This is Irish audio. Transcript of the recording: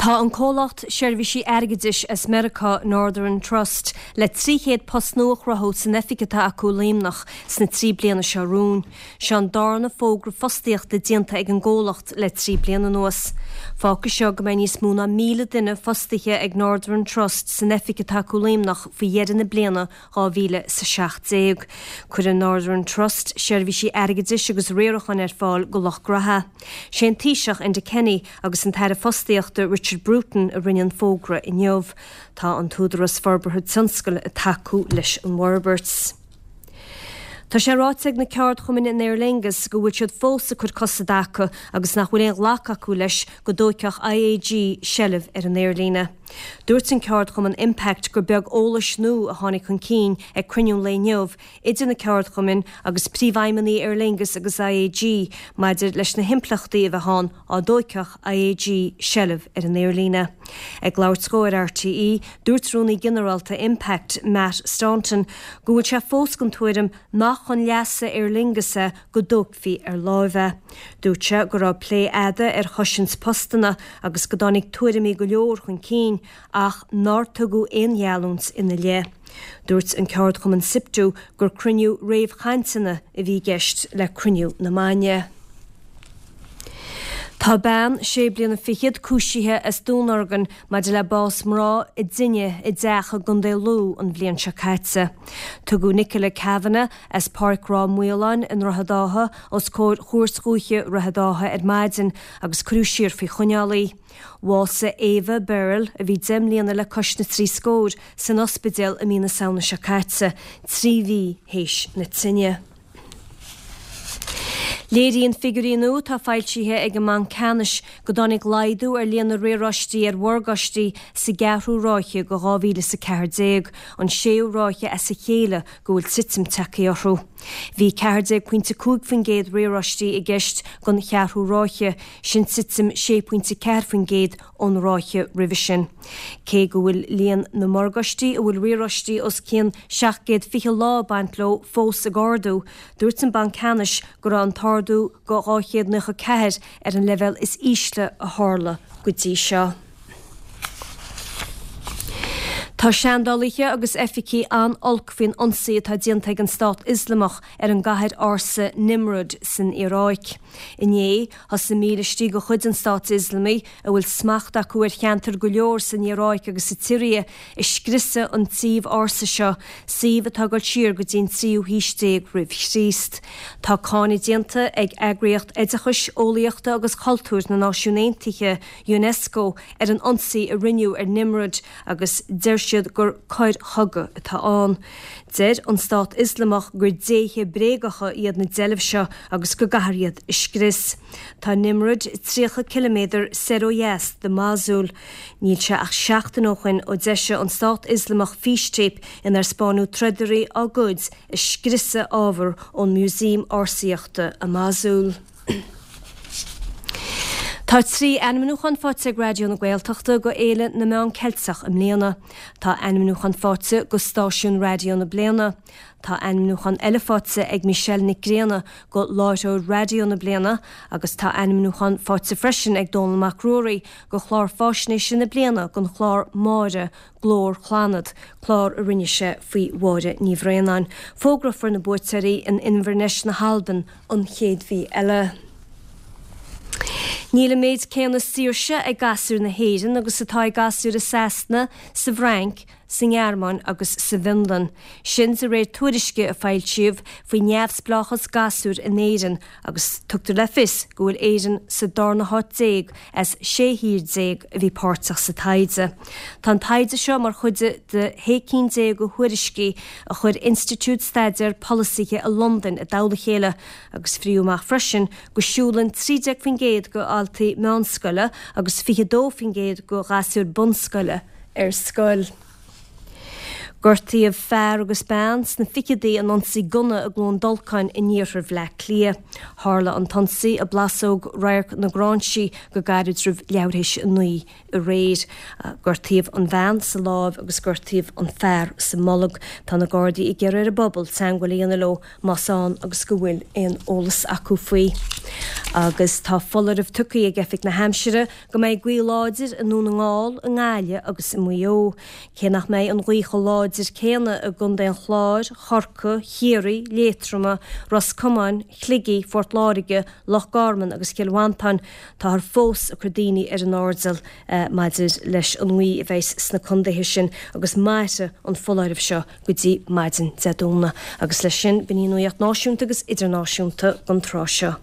Tá an comhlacht seirbhísí airgeadais as Meiriceá, Northern Trust, le 300 post nua a chruthú san oifig atá acu i Luimneach sna 3 bliana seo romhainn. Seo an darna fógra fostaíochta déanta ag an gcomhlacht le 3 bliana anuas. Fágfaidh seo go mbeidh níos mó ná 1,000 duine fostaithe ag Northern Trust san oifig atá acu i Luimneach faoi dheireadh na bliana 2017. Cuireann Northern Trust seirbhísí airgeadais agus riaracháin ar fáil go lucht graithe. Sé an Taoiseach Enda Kenny agus an tAire Fostaíochta Richard Bruton a rinne an fógra inniu. Tá an tÚdarás Forbartha Tionscail ag tacú leis an bhforbairt. Tá sé ráite ag na ceardchumainn in Aer Lingus go bhfuil siad fós ag cur cos i dtaca agus nach bhfuil aon ghlacadh acu leis go dtóigfeadh IAG seilbh ar an aerlíne. Dúirt an ceardchumann Impact gur beag eolais nua a tháinig chun cinn ag cruinniú an lae inniu idir na ceardchumainn agus príomhfheidhmeannaigh Aer Lingus agus IAG maidir leis na himpleachtaí a bheadh ann á dtóigfeadh IAG seilbh ar an aerlíne. Ag labhairt dhó ar RTÉ, dúirt Rúnaí Ginearálta Impact, Matt Staunton, go bhfuil sé fós den tuairim nach chun leasa Aer Lingus é go dtógfaí ar láimh é. Dúirt sé go raibh plé fhada ar chosaint postanna agus go dtáinig tuairimí go leor chun cinn ach nár tugadh aon gheallúint ina leith. Dúirt an ceardchumann Siptu gur cruinniú réamhchainteanna a bhí i gceist le cruinniú na maidne. Tá bean sé bliana fichead cúisithe as Dún Urmhan maidir le bás mná i dtine i dteach i gContae Lú an bhliain seo caite. Tugadh Nicola Kavanagh as Páirc Ráth Maoláin i nDroichead Átha os comhair Chúirt Dhúiche Dhroichead Átha ar maidin agus cuireadh siar faoi choinneáil í. Bhásaigh Eva Birrell, a bhí 10 mbliana le cois na dtrí scór, san ospidéal i mí na Samhna seo caite, 3 mhí théis na tine. Léiríonn figiúirí nua atá foilsithe ag an mBanc Ceannais go dtáinig laghdú ar líon na riaráistí ar mhorgáistí sa gceathrú ráithe de 2014, an séú ráithe as a chéile go bhfuil titim tagtha orthu. Bhí 14.5% riaráistí i gceist don cheathrú ráithe, sin titim 6.4% ón ráithe roimhe sin. Cé go bhfuil líon na morgáistí a bhfuil riaráistí os cionn 720 lá ag baint leo fós ag ardú, dúirt an Banc Ceannais go raibh an t-ardú go 294 ar an leibhéal is ísle a tharla go dtí seo. Tá seandálaithe agus oifigigh an-olc faoin ionsaí atá déanta ag an Stát Ioslamach ar an gcathair ársa Nimrud san Iaráic. Inné, Thosaigh mílístí de chuid an Stáit Ioslamaigh, a bhfuil smacht acu ar cheantair go leor san Iaráic agus sa tSiria, ag scriosadh an tsuímh ársa seo, suíomh atá ag dul siar go dtí an tríú haois déag roimh Chríost. Tá cáineadh déanta ag Eagraíocht Oideachais, Eolaíochta agus Cultúir na Náisiún Aontaithe, Unesco, ar an ionsaí a rinneadh ar Nimrud agus deir siad gur coir chogaidh atá ann. Deir an Stát Ioslamach gur déithe bréagacha iad na deilbh seo agus go gcaithfear iad a scrios. Tá Nimrud 30 ciliméadar soir ó dheas de Mosul. Níl sé ach seachtain ó shoin ó d'eisigh an Stát Ioslamach fístéip inar 'spáineadh trodairí á gcuid ag scriosadh ábhar ón Músaem Ársaíochta i Mosul. Tá 3 ainmniúchán faighte ag Raidió na Gaeltachta go Fhéile na Meán Ceilteach i mbliana. Tá ainmniúchán faighte go Stáisiún Raidió na Bliana. Tá ainmniúchán eile faighte ag Michelle Nic Grianna go Láithreoir Raidió na Bliana agus tá ainmniúchán faighte freisin ag Dónall Mac Ruairí go Chlár Fáisnéise na Bliana don chlár Máire, Glór Chlannad, clár a rinne sé faoi Mháire Ní Bhraonáin. Fógrófar na buaiteoirí in Inbhir Ness na hAlban an chéad mhí eile. Níl an méid céanna saoirse ag gasúir na hÉireann agus atá ag gasúir i Sasana, sa bhFrainc, sa nGearmáin agus sa bhFionlainn. Sin de réir tuairisce a foilsíodh faoi neamhspleáchas gasúir in Éirinn agus tugtar le fios go bhfuil Éirinn sa darna háit déag as 16 thír a bhí páirteach sa taighde. Tá an taighde seo mar chuid de shé cinn déag de thuairiscí a chuir Institiúid Staidéar Polasaithe i Londain i dtoll a chéile agus fríodh amach freisin go siúlann 13% de dhaltaí meánscoile agus 22% de ghasúir bunscoile ar scoil. Gortaíodh fear agus bean sna ficheadaí in ionsaí gunna i gCluain Dolcáin in iarthar Bhleá Cliath. Tharla an t-ionsaí i bPlásóg Radharc na Gráinsí go gairid roimh leathuair théis 9 aréir. Gortaíodh an bhean sa láimh agus gortaíodh an fear sa mbolg. Tá na Gardaí ag iarraidh ar an bpobal teagmháil a dhéanamh leo más ann agus go bhfuil aon eolas acu faoi. Agus tá foláireamh tugtha ag Oifig na hAimsire go mbeidh gaoth láidir i nDún na nGall, i nGaillimh agus i Maigh Eo. Cé nach mbeidh an ghaoth chomh láidir céanna i gContae an Chláir, Chorcaí, Chiarraí, Liatroma, Ros Comáin, Shligigh, Phort Láirge, Loch Garman agus Chill Mhantáin, táthar fós ag cur daoine ar an airdeall maidir leis an ngaoth a bheas sna contaetha sin agus mairfidh an foláireamh seo go dtí maidin Dé Domhnaigh. Agus leis sin, b'in í an nuacht náisiúnta agus idirnáisiúnta don tráth seo.